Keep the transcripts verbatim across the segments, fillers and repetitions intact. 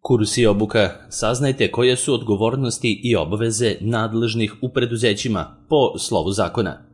Kurs i obuka, saznajte koje su odgovornosti i obaveze nadležnih u preduzećima po slovu zakona.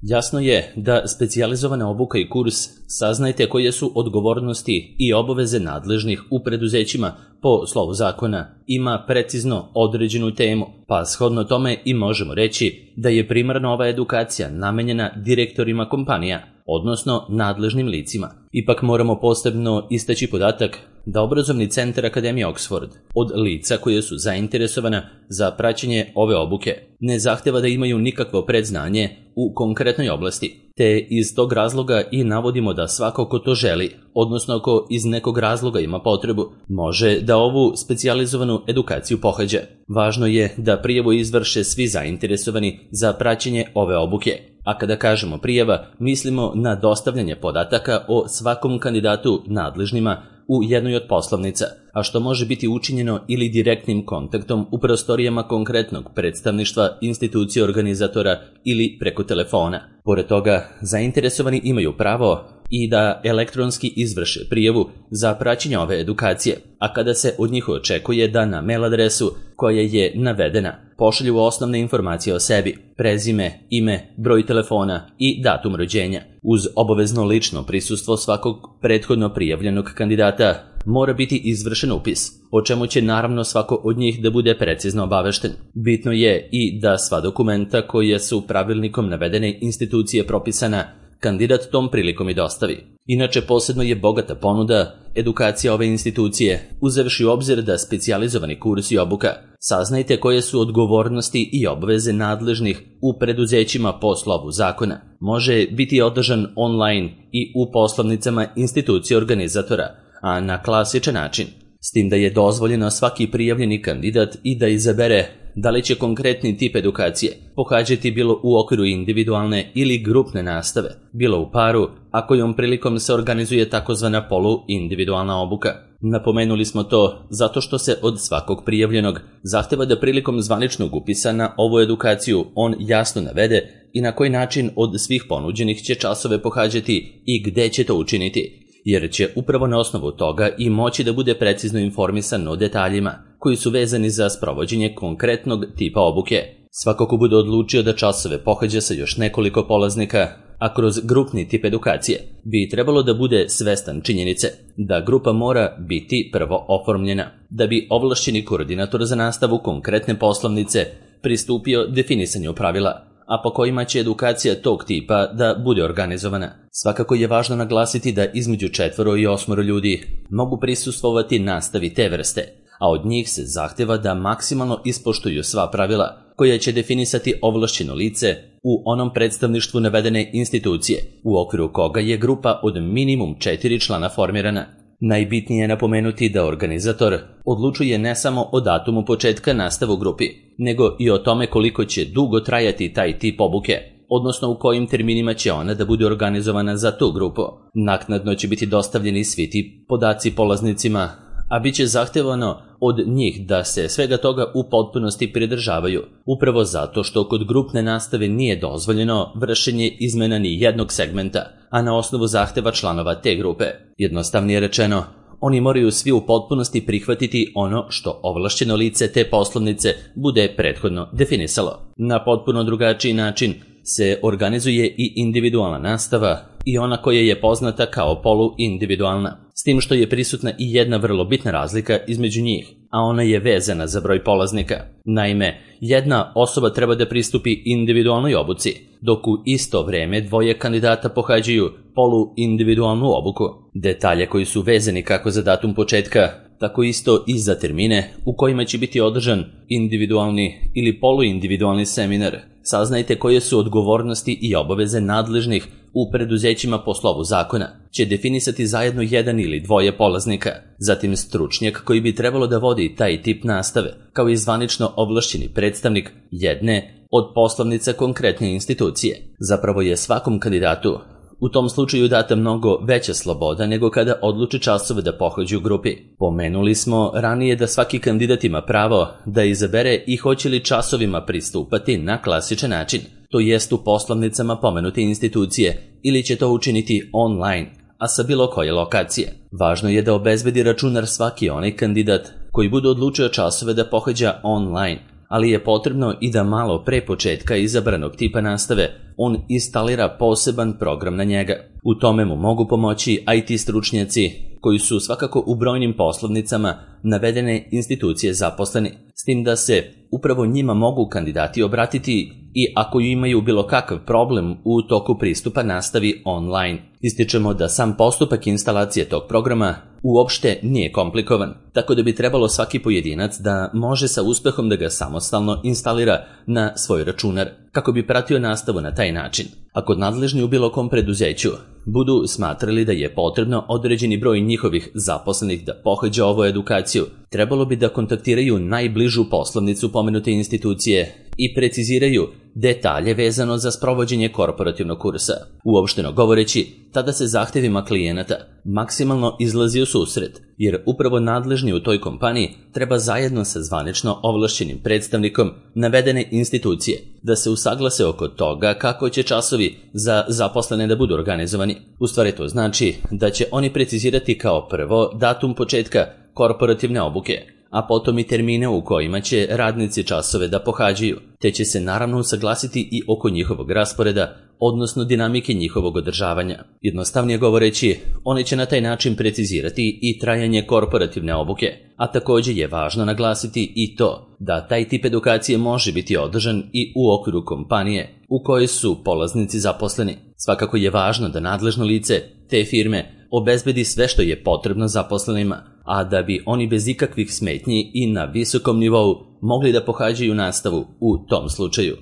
Jasno je da specijalizovana obuka i kurs, saznajte koje su odgovornosti i obaveze nadležnih u preduzećima po slovu zakona, ima precizno određenu temu, pa shodno tome i možemo reći da je primarno ova edukacija namenjena direktorima kompanija, odnosno nadležnim licima. Ipak moramo posebno istaći podatak da Obrazovni centar Akademije Oxford od lica koje su zainteresovana za praćenje ove obuke ne zahteva da imaju nikakvo predznanje u konkretnoj oblasti, te iz tog razloga i navodimo da svako ko to želi, odnosno ko iz nekog razloga ima potrebu, može da ovu specijalizovanu edukaciju pohađa. Važno je da prijavu izvrše svi zainteresovani za praćenje ove obuke. A kada kažemo prijava, mislimo na dostavljanje podataka o svakom kandidatu nadležnima u jednoj od poslovnica, a što može biti učinjeno ili direktnim kontaktom u prostorijama konkretnog predstavništva, institucije organizatora ili preko telefona. Pored toga, zainteresovani imaju pravo i da elektronski izvrše prijavu za praćenje ove edukacije, a kada se od njih očekuje da na mail adresu koja je navedena pošalju osnovne informacije o sebi, prezime, ime, broj telefona i datum rođenja. Uz obavezno lično prisustvo svakog prethodno prijavljenog kandidata mora biti izvršen upis, o čemu će naravno svako od njih da bude precizno obavešten. Bitno je i da sva dokumenta koja su pravilnikom navedene institucije propisana kandidat tom prilikom i dostavi. Inače, posebno je bogata ponuda edukacija ove institucije, uzevši u obzir da specijalizovani kurs i obuka, saznajte koje su odgovornosti i obaveze nadležnih u preduzećima po slovu zakona, može biti održan online i u poslovnicama institucije organizatora, a na klasičan način, s tim da je dozvoljeno svaki prijavljeni kandidat i da izabere da li će konkretni tip edukacije pohađati bilo u okviru individualne ili grupne nastave, bilo u paru, a kojom prilikom se organizuje takozvana polu-individualna obuka. Napomenuli smo to zato što se od svakog prijavljenog zahteva da prilikom zvaničnog upisa na ovu edukaciju on jasno navede i na koji način od svih ponuđenih će časove pohađati i gde će to učiniti, jer će upravo na osnovu toga i moći da bude precizno informisan o detaljima koji su vezani za sprovođenje konkretnog tipa obuke. Svako ko bude odlučio da časove pohađa sa još nekoliko polaznika, a kroz grupni tip edukacije, bi trebalo da bude svestan činjenice da grupa mora biti prvo oformljena, da bi ovlašćeni koordinator za nastavu konkretne poslovnice pristupio definisanju pravila, a po kojima će edukacija tog tipa da bude organizovana. Svakako je važno naglasiti da između četvoro i osmoro ljudi mogu prisustvovati nastavi te vrste, a od njih se zahteva da maksimalno ispoštuju sva pravila koja će definisati ovlašćeno lice u onom predstavništvu navedene institucije, u okviru koga je grupa od minimum četiri člana formirana. Najbitnije je napomenuti da organizator odlučuje ne samo o datumu početka nastave u grupi, nego i o tome koliko će dugo trajati taj tip obuke, odnosno u kojim terminima će ona da bude organizovana za tu grupu. Naknadno će biti dostavljeni svi ti podaci polaznicima, a bit će zahtevano od njih da se svega toga u potpunosti pridržavaju, upravo zato što kod grupne nastave nije dozvoljeno vršenje izmena ni jednog segmenta, a na osnovu zahteva članova te grupe. Jednostavnije rečeno, oni moraju svi u potpunosti prihvatiti ono što ovlašćeno lice te poslovnice bude prethodno definisalo. Na potpuno drugačiji način se organizuje i individualna nastava i ona koja je poznata kao polu-individualna, s tim što je prisutna i jedna vrlo bitna razlika između njih, a ona je vezana za broj polaznika. Naime, jedna osoba treba da pristupi individualnoj obuci, dok u isto vreme dvoje kandidata pohađaju polu-individualnu obuku. Detalje koji su vezani kako za datum početka, tako isto i za termine u kojima će biti održan individualni ili polu-individualni seminar. Saznajte koje su odgovornosti i obaveze nadležnih u preduzećima po slovu zakona, će definisati zajedno jedan ili dvoje polaznika, zatim stručnjak koji bi trebalo da vodi taj tip nastave, kao i zvanično ovlašćeni predstavnik jedne od poslovnica konkretne institucije. Zapravo je svakom kandidatu u tom slučaju data mnogo veća sloboda nego kada odluči časove da pohađu u grupi. Pomenuli smo ranije da svaki kandidat ima pravo da izabere i hoće li časovima pristupati na klasičan način, to jest u poslovnicama pomenute institucije, ili će to učiniti online, a sa bilo koje lokacije. Važno je da obezbedi računar svaki onaj kandidat koji bude odlučio časove da pohađa online, ali je potrebno i da malo pre početka izabranog tipa nastave on instalira poseban program na njega. U tome mu mogu pomoći I T stručnjaci koji su svakako u brojnim poslovnicama navedene institucije zaposleni, s tim da se upravo njima mogu kandidati obratiti i ako imaju bilo kakav problem u toku pristupa nastavi online. Ističemo da sam postupak instalacije tog programa uopšte nije komplikovan, tako da bi trebalo svaki pojedinac da može sa uspehom da ga samostalno instalira na svoj računar, kako bi pratio nastavu na taj način. Ako nadležni u bilo kom preduzeću budu smatrali da je potrebno određeni broj njihovih zaposlenih da pohađa ovu edukaciju, trebalo bi da kontaktiraju najbližu poslovnicu pomenute institucije i preciziraju detalje vezano za sprovođenje korporativnog kursa. Uopšteno govoreći, tada se zahtevima klijenata maksimalno izlazi u susret, jer upravo nadležni u toj kompaniji treba zajedno sa zvanično ovlašćenim predstavnikom navedene institucije da se usaglase oko toga kako će časovi za zaposlene da budu organizovani. U stvari to znači da će oni precizirati kao prvo datum početka korporativne obuke, a potom i termine u kojima će radnici časove da pohađaju, te će se naravno usaglasiti i oko njihovog rasporeda, odnosno dinamike njihovog održavanja. Jednostavnije govoreći, oni će na taj način precizirati i trajanje korporativne obuke, a također je važno naglasiti i to da taj tip edukacije može biti održan i u okviru kompanije u kojoj su polaznici zaposleni. Svakako je važno da nadležno lice te firme obezbedi sve što je potrebno zaposlenima, a da bi oni bez ikakvih smetnji i na visokom nivou mogli da pohađaju nastavu u tom slučaju.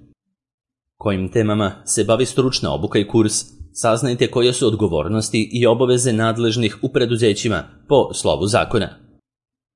Kojim temama se bavi stručna obuka i kurs, saznajte koje su odgovornosti i obaveze nadležnih u preduzećima po slovu zakona.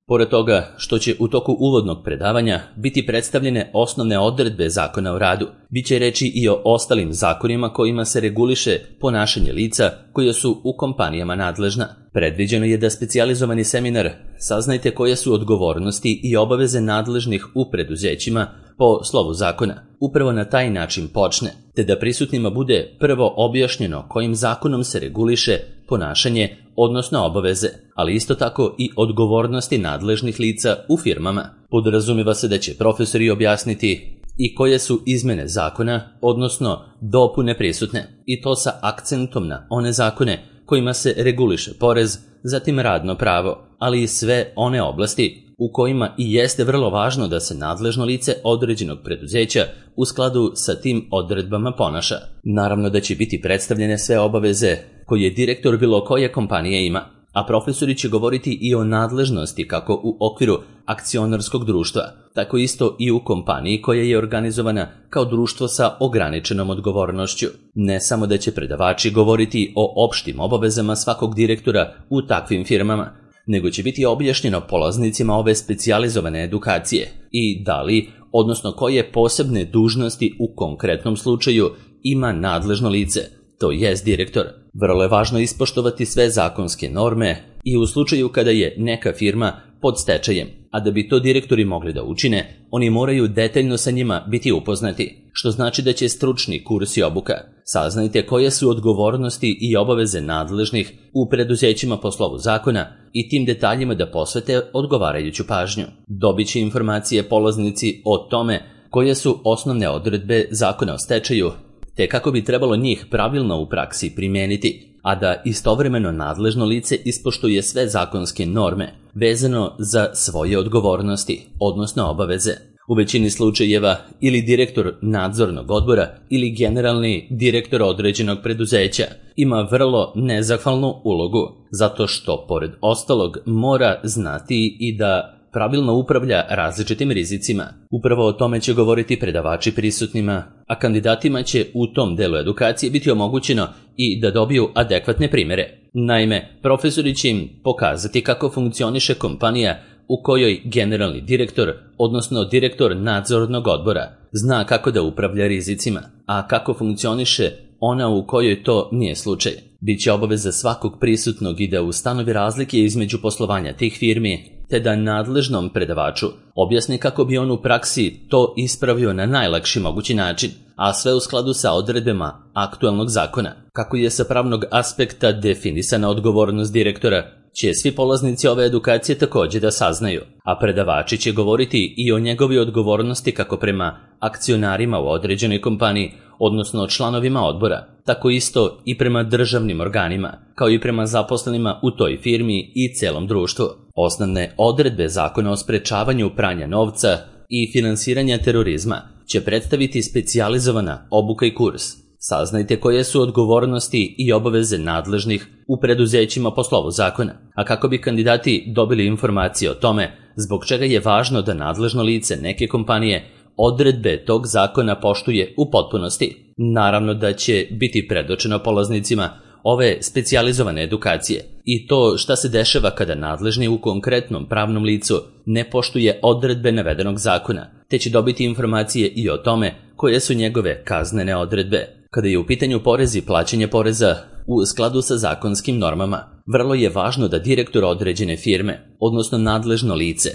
Pored toga što će u toku uvodnog predavanja biti predstavljene osnovne odredbe Zakona o radu, bit će reći i o ostalim zakonima kojima se reguliše ponašanje lica koja su u kompanijama nadležna. Predviđeno je da specijalizovani seminar saznajte koje su odgovornosti i obaveze nadležnih u preduzećima po slovu zakona upravo na taj način počne, te da prisutnima bude prvo objašnjeno kojim zakonom se reguliše ponašanje, odnosno obaveze, ali isto tako i odgovornosti nadležnih lica u firmama. Podrazumijeva se da će profesori objasniti i koje su izmene zakona, odnosno dopune prisutne, i to sa akcentom na one zakone kojima se reguliše porez, zatim radno pravo, ali i sve one oblasti u kojima i jeste vrlo važno da se nadležno lice određenog preduzeća u skladu sa tim odredbama ponaša. Naravno da će biti predstavljene sve obaveze koje direktor bilo koje kompanije ima, a profesori će govoriti i o nadležnosti kako u okviru akcionarskog društva, tako isto i u kompaniji koja je organizovana kao društvo sa ograničenom odgovornošću. Ne samo da će predavači govoriti o opštim obavezama svakog direktora u takvim firmama, nego će biti objašnjeno polaznicima ove specijalizovane edukacije i da li, odnosno koje posebne dužnosti u konkretnom slučaju ima nadležno lice, to jest direktor. Vrlo je važno ispoštovati sve zakonske norme i u slučaju kada je neka firma pod stečajem, a da bi to direktori mogli da učine, oni moraju detaljno sa njima biti upoznati, što znači da će stručni kurs i obuka. Saznajte koje su odgovornosti i obaveze nadležnih u preduzećima po slovu zakona i tim detaljima da posvete odgovarajuću pažnju. Dobit će informacije polaznici o tome koje su osnovne odredbe zakona o stečaju, te kako bi trebalo njih pravilno u praksi primijeniti, a da istovremeno nadležno lice ispoštuje sve zakonske norme vezano za svoje odgovornosti, odnosno obaveze. U većini slučajeva ili direktor nadzornog odbora ili generalni direktor određenog preduzeća ima vrlo nezahvalnu ulogu, zato što pored ostalog mora znati i da pravilno upravlja različitim rizicima. Upravo o tome će govoriti predavači prisutnima, a kandidatima će u tom delu edukacije biti omogućeno i da dobiju adekvatne primjere. Naime, profesori će im pokazati kako funkcioniše kompanija u kojoj generalni direktor, odnosno direktor nadzornog odbora, zna kako da upravlja rizicima, a kako funkcioniše ona u kojoj to nije slučaj. Biće obaveza svakog prisutnog i da ustanovi razlike između poslovanja tih firmi te da nadležnom predavaču objasni kako bi on u praksi to ispravio na najlakši mogući način, a sve u skladu sa odredbama aktualnog zakona. Kako je sa pravnog aspekta definisana odgovornost direktora, će svi polaznici ove edukacije također da saznaju, a predavači će govoriti i o njegovi odgovornosti kako prema akcionarima u određenoj kompaniji, odnosno članovima odbora, tako isto i prema državnim organima, kao i prema zaposlenima u toj firmi i celom društvu. Osnovne odredbe Zakona o sprečavanju pranja novca i finansiranja terorizma će predstaviti specijalizovana obuka i kurs. Saznajte koje su odgovornosti i obaveze nadležnih u preduzećima po slovu zakona, a kako bi kandidati dobili informacije o tome zbog čega je važno da nadležno lice neke kompanije odredbe tog zakona poštuje u potpunosti. Naravno da će biti predočeno polaznicima ove specijalizovane edukacije i to šta se dešava kada nadležni u konkretnom pravnom licu ne poštuje odredbe navedenog zakona, te će dobiti informacije i o tome koje su njegove kaznene odredbe. Kada je u pitanju porez i plaćanje poreza u skladu sa zakonskim normama, vrlo je važno da direktor određene firme, odnosno nadležno lice,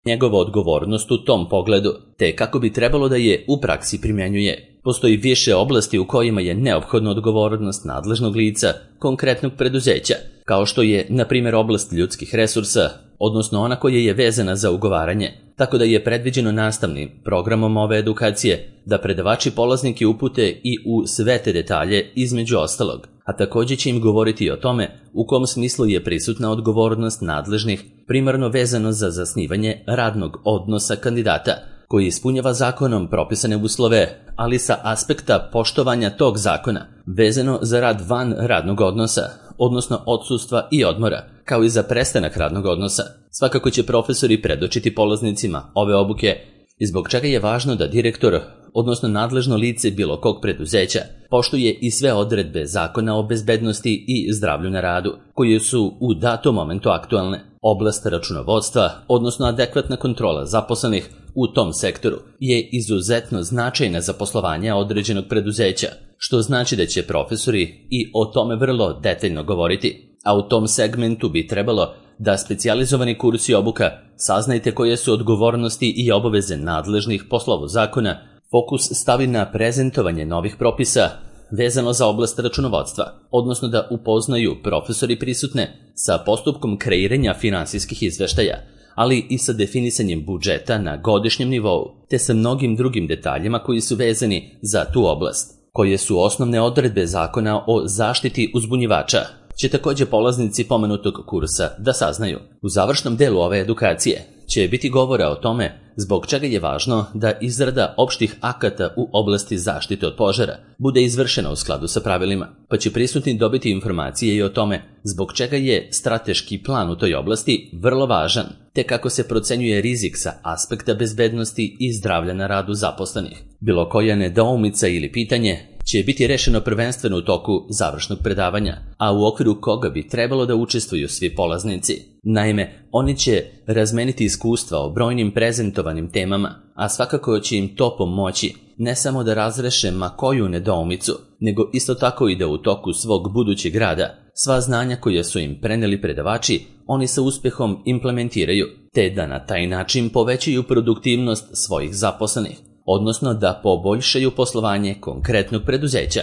njegova odgovornost u tom pogledu, te kako bi trebalo da je u praksi primjenjuje. Postoji više oblasti u kojima je neophodna odgovornost nadležnog lica konkretnog preduzeća, kao što je, na primjer, oblast ljudskih resursa, odnosno ona koja je vezana za ugovaranje, tako da je predviđeno nastavnim programom ove edukacije da predavači polaznike upute i u sve te detalje između ostalog, a također će im govoriti o tome u kom smislu je prisutna odgovornost nadležnih, primarno vezano za zasnivanje radnog odnosa kandidata, koji ispunjava zakonom propisane uslove, ali sa aspekta poštovanja tog zakona, vezano za rad van radnog odnosa, odnosno odsustva i odmora, kao i za prestanak radnog odnosa. Svakako će profesori predočiti polaznicima ove obuke i zbog čega je važno da direktor, odnosno nadležno lice bilo kog preduzeća, poštuje i sve odredbe zakona o bezbednosti i zdravlju na radu, koje su u datom momentu aktualne. Oblast računovodstva, odnosno adekvatna kontrola zaposlenih u tom sektoru, je izuzetno značajna za poslovanje određenog preduzeća, što znači da će profesori i o tome vrlo detaljno govoriti, a u tom segmentu bi trebalo da specijalizovani kursi obuka saznajte koje su odgovornosti i obaveze nadležnih po slovu zakona, fokus stavi na prezentovanje novih propisa vezano za oblast računovodstva, odnosno da upoznaju profesori prisutne sa postupkom kreiranja finansijskih izveštaja, ali i sa definisanjem budžeta na godišnjem nivou, te sa mnogim drugim detaljima koji su vezani za tu oblast. Koje su osnovne odredbe zakona o zaštiti uzbunjivača, će također polaznici pomenutog kursa da saznaju. U završnom delu ove edukacije će biti govora o tome zbog čega je važno da izrada opštih akata u oblasti zaštite od požara bude izvršena u skladu sa pravilima, pa će prisutni dobiti informacije i o tome zbog čega je strateški plan u toj oblasti vrlo važan, te kako se procenjuje rizik sa aspekta bezbednosti i zdravlja na radu zaposlenih. Bilo koja nedoumica ili pitanje će biti rešeno prvenstveno u toku završnog predavanja, a u okviru koga bi trebalo da učestvuju svi polaznici. Naime, oni će razmeniti iskustva o brojnim prezentovanim temama, a svakako će im to pomoći ne samo da razreše ma koju nedoumicu, nego isto tako i da u toku svog budućeg rada sva znanja koja su im preneli predavači oni sa uspehom implementiraju, te da na taj način povećaju produktivnost svojih zaposlenih, odnosno da poboljšaju poslovanje konkretnog preduzeća.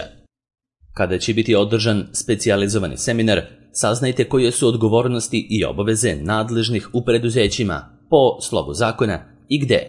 Kada će biti održan specijalizovani seminar, saznajte koje su odgovornosti i obaveze nadležnih u preduzećima po slovu zakona i gde.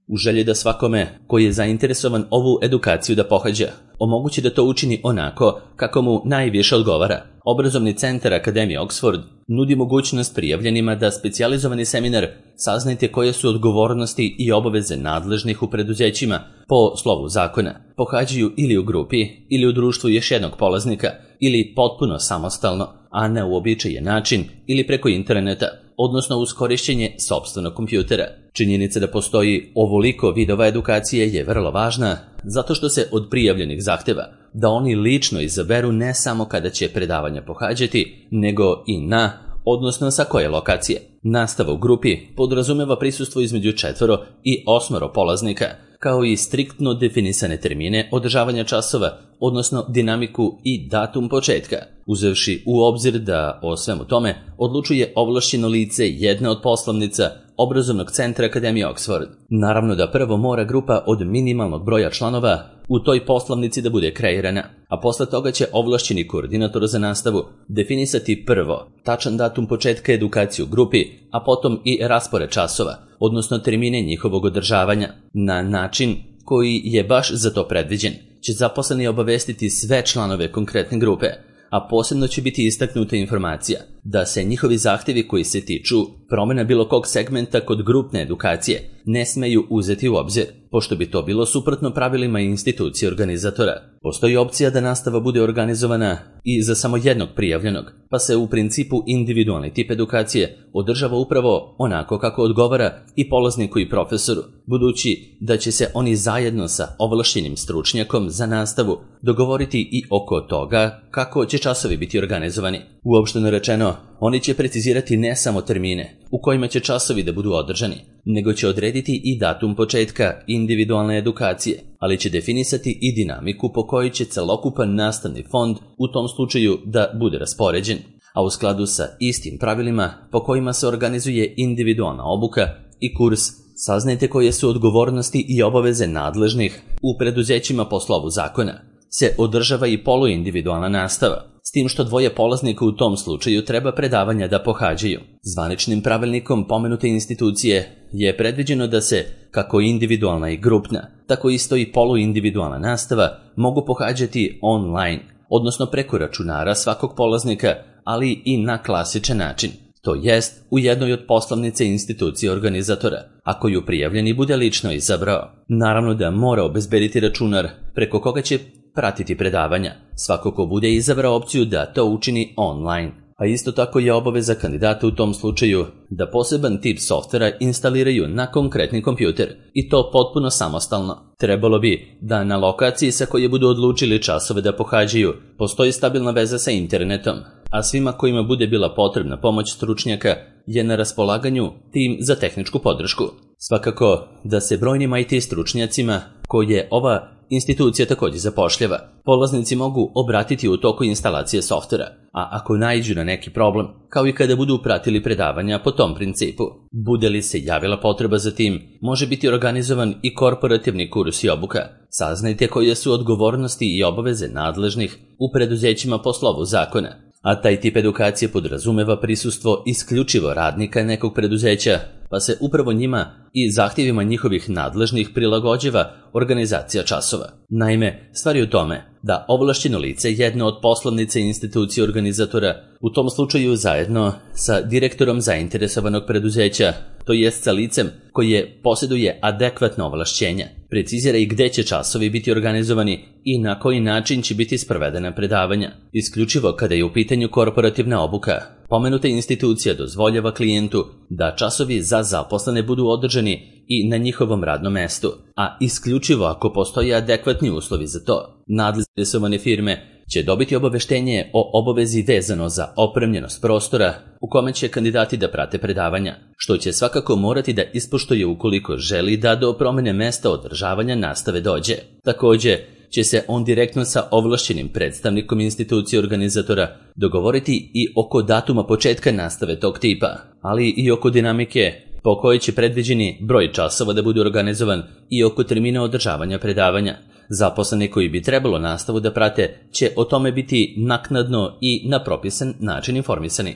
U želji da svakome koji je zainteresovan ovu edukaciju da pohađa, omogući da to učini onako kako mu najviše odgovara, Obrazovni centar Akademije Oxford nudi mogućnost prijavljenima da specijalizovani seminar saznajte koje su odgovornosti i obaveze nadležnih u preduzećima po slovu zakona pohađaju ili u grupi ili u društvu još jednog polaznika ili potpuno samostalno, a na uobičajen način ili preko interneta, odnosno uz korišćenje sopstvenog kompjutera. Činjenica da postoji ovoliko vidova edukacije je vrlo važna zato što se od prijavljenih zahteva da oni lično izaberu ne samo kada će predavanja pohađati, nego i na, odnosno sa koje lokacije. Nastava u grupi podrazumeva prisustvo između četvoro i osmoro polaznika, kao i striktno definisane termine održavanja časova, odnosno dinamiku i datum početka, uzevši u obzir da o svemu tome odlučuje ovlašćeno lice jedne od poslovnica obrazovnog centra Akademije Oxford. Naravno da prvo mora grupa od minimalnog broja članova u toj poslovnici da bude kreirana, a posle toga će ovlašćeni koordinator za nastavu definisati prvo tačan datum početka edukacije u grupi, a potom i raspored časova, odnosno termine njihovog održavanja. Na način koji je baš za to predviđen će zaposleni obavestiti sve članove konkretne grupe, a posebno će biti istaknuta informacija da se njihovi zahtjevi koji se tiču promjena bilo kog segmenta kod grupne edukacije ne smeju uzeti u obzir, pošto bi to bilo suprotno pravilima institucije organizatora. Postoji opcija da nastava bude organizovana i za samo jednog prijavljenog, pa se u principu individualni tip edukacije održava upravo onako kako odgovara i polazniku i profesoru, budući da će se oni zajedno sa ovlašćenim stručnjakom za nastavu dogovoriti i oko toga kako će časovi biti organizovani. Uopšteno rečeno, oni će precizirati ne samo termine u kojima će časovi da budu održani, nego će odrediti i datum početka individualne edukacije, ali će definisati i dinamiku po kojoj će celokupan nastavni fond u tom slučaju da bude raspoređen, a u skladu sa istim pravilima po kojima se organizuje individualna obuka i kurs, saznajte koje su odgovornosti i obaveze nadležnih u preduzećima po slovu zakona. Se održava i poluindividualna nastava, s tim što dvoje polaznika u tom slučaju treba predavanja da pohađaju. Zvaničnim pravilnikom pomenute institucije je predviđeno da se, kako individualna i grupna, tako isto i poluindividualna nastava mogu pohađati online, odnosno preko računara svakog polaznika, ali i na klasičan način, to jest u jednoj od poslovnice institucije organizatora, ako ju prijavljeni bude lično izabrao. Naravno da mora obezbediti računar preko koga će pratiti predavanja, svako ko bude izabrao opciju da to učini online. A isto tako je obaveza kandidata u tom slučaju da poseban tip softvera instaliraju na konkretni kompjuter, i to potpuno samostalno. Trebalo bi da na lokaciji sa koje budu odlučili časove da pohađaju postoji stabilna veza sa internetom, a svima kojima bude bila potrebna pomoć stručnjaka je na raspolaganju tim za tehničku podršku. Svakako da se brojnim I T stručnjacima koje ova institucija također zapošljava polaznici mogu obratiti u toku instalacije softvera, a ako naiđu na neki problem, kao i kada budu pratili predavanja po tom principu. Bude li se javila potreba za tim, može biti organizovan i korporativni kurs i obuka. Saznajte koje su odgovornosti i obaveze nadležnih u preduzećima po slovu zakona, a taj tip edukacije podrazumeva prisustvo isključivo radnika nekog preduzeća, pa se upravo njima i zahtjevima njihovih nadležnih prilagođava organizacija časova. Naime, stvar je u tome da ovlašćeno lice jedne od poslovnice institucije organizatora, u tom slučaju zajedno sa direktorom zainteresovanog preduzeća, to jest sa licem koje posjeduje adekvatno ovlašćenja, precizira i gde će časovi biti organizovani i na koji način će biti sprovedena predavanja. Isključivo kada je u pitanju korporativna obuka, pomenuta institucija dozvoljava klijentu da časovi za zaposlene budu održani i na njihovom radnom mestu, a isključivo ako postoje adekvatni uslovi za to. Nadležne firme će dobiti obaveštenje o obavezi vezano za opremljenost prostora u kome će kandidati da prate predavanja, što će svakako morati da ispoštuje ukoliko želi da do promjene mesta održavanja nastave dođe. Također će se on direktno sa ovlašćenim predstavnikom institucije organizatora dogovoriti i oko datuma početka nastave tog tipa, ali i oko dinamike po kojoj će predviđeni broj časova da bude organizovan i oko termina održavanja predavanja. Zaposleni koji bi trebalo nastavu da prate će o tome biti naknadno i na propisan način informisani.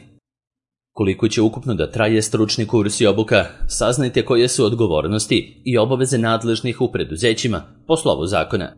Koliko će ukupno da traje stručni kurs i obuka, saznajte koje su odgovornosti i obaveze nadležnih u preduzećima po slovu zakona.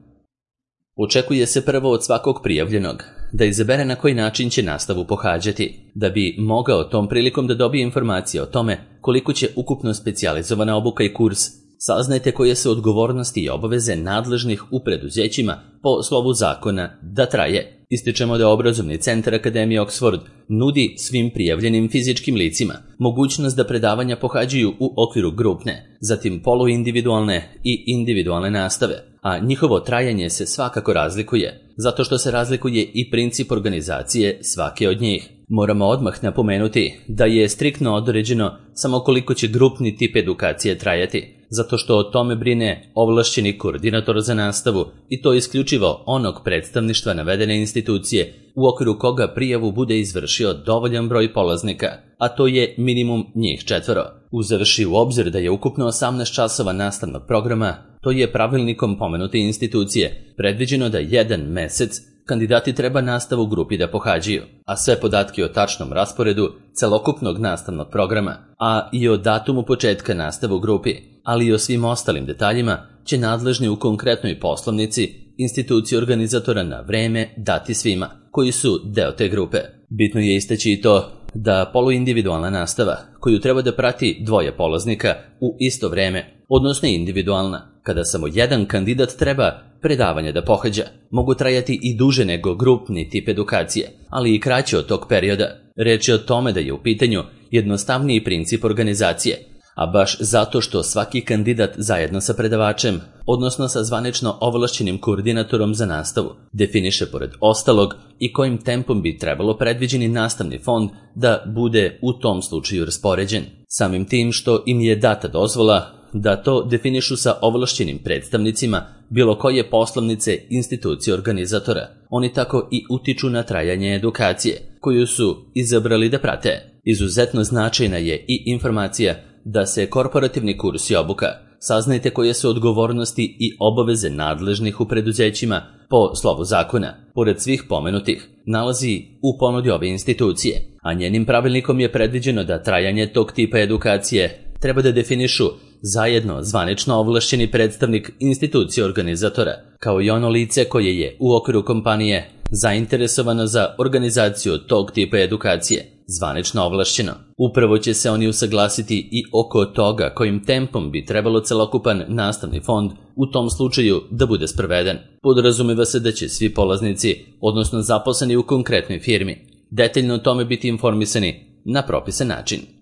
Očekuje se prvo od svakog prijavljenog da izabere na koji način će nastavu pohađati, da bi mogao tom prilikom da dobije informacije o tome koliko će ukupno specijalizovana obuka i kurs. Saznajte koje su odgovornosti i obaveze nadležnih u preduzećima po slovu zakona da traje. Ističemo da obrazovni centar Akademije Oxford nudi svim prijavljenim fizičkim licima mogućnost da predavanja pohađaju u okviru grupne, zatim poluindividualne i individualne nastave, a njihovo trajanje se svakako razlikuje, zato što se razlikuje i princip organizacije svake od njih. Moramo odmah napomenuti da je striktno određeno samo koliko će grupni tip edukacije trajati, zato što o tome brine ovlašćeni koordinator za nastavu i to isključivo onog predstavništva navedene institucije u okviru koga prijavu bude izvršio dovoljan broj polaznika, a to je minimum njih četvoro. Uzevši u obzir da je ukupno osamnaest časova nastavnog programa, to je pravilnikom pomenute institucije predviđeno da jedan mesec kandidati treba nastavu u grupi da pohađaju, a sve podatke o tačnom rasporedu celokupnog nastavnog programa, a i o datumu početka nastave u grupi, ali i o svim ostalim detaljima će nadležni u konkretnoj poslovnici institucije organizatora na vreme dati svima koji su deo te grupe. Bitno je istaći i to da poluindividualna nastava, koju treba da prati dvoje polaznika u isto vreme, odnosno individualna, kada samo jedan kandidat treba predavanje da pohađa, mogu trajati i duže nego grupni tip edukacije, ali i kraće od tog perioda. Reč je o tome da je u pitanju jednostavniji princip organizacije, a baš zato što svaki kandidat zajedno sa predavačem, odnosno sa zvanično ovlašćenim koordinatorom za nastavu, definiše pored ostalog i kojim tempom bi trebalo predviđeni nastavni fond da bude u tom slučaju raspoređen. Samim tim što im je data dozvola da to definišu sa ovlašćenim predstavnicima bilo koje poslovnice institucije organizatora. Oni tako i utiču na trajanje edukacije, koju su izabrali da prate. Izuzetno značajna je i informacija da se korporativni kurs i obuka, saznajte koje su odgovornosti i obaveze nadležnih u preduzećima po slovu zakona, pored svih pomenutih, nalazi u ponudi ove institucije, a njenim pravilnikom je predviđeno da trajanje tog tipa edukacije treba da definišu zajedno zvanično ovlašćeni predstavnik institucije organizatora, kao i ono lice koje je u okviru kompanije zainteresovano za organizaciju tog tipa edukacije, zvanično ovlašćeno. Upravo će se oni usaglasiti i oko toga kojim tempom bi trebalo celokupan nastavni fond u tom slučaju da bude sproveden. Podrazumeva se da će svi polaznici, odnosno zaposleni u konkretnoj firmi, detaljno o tome biti informisani na propisan način.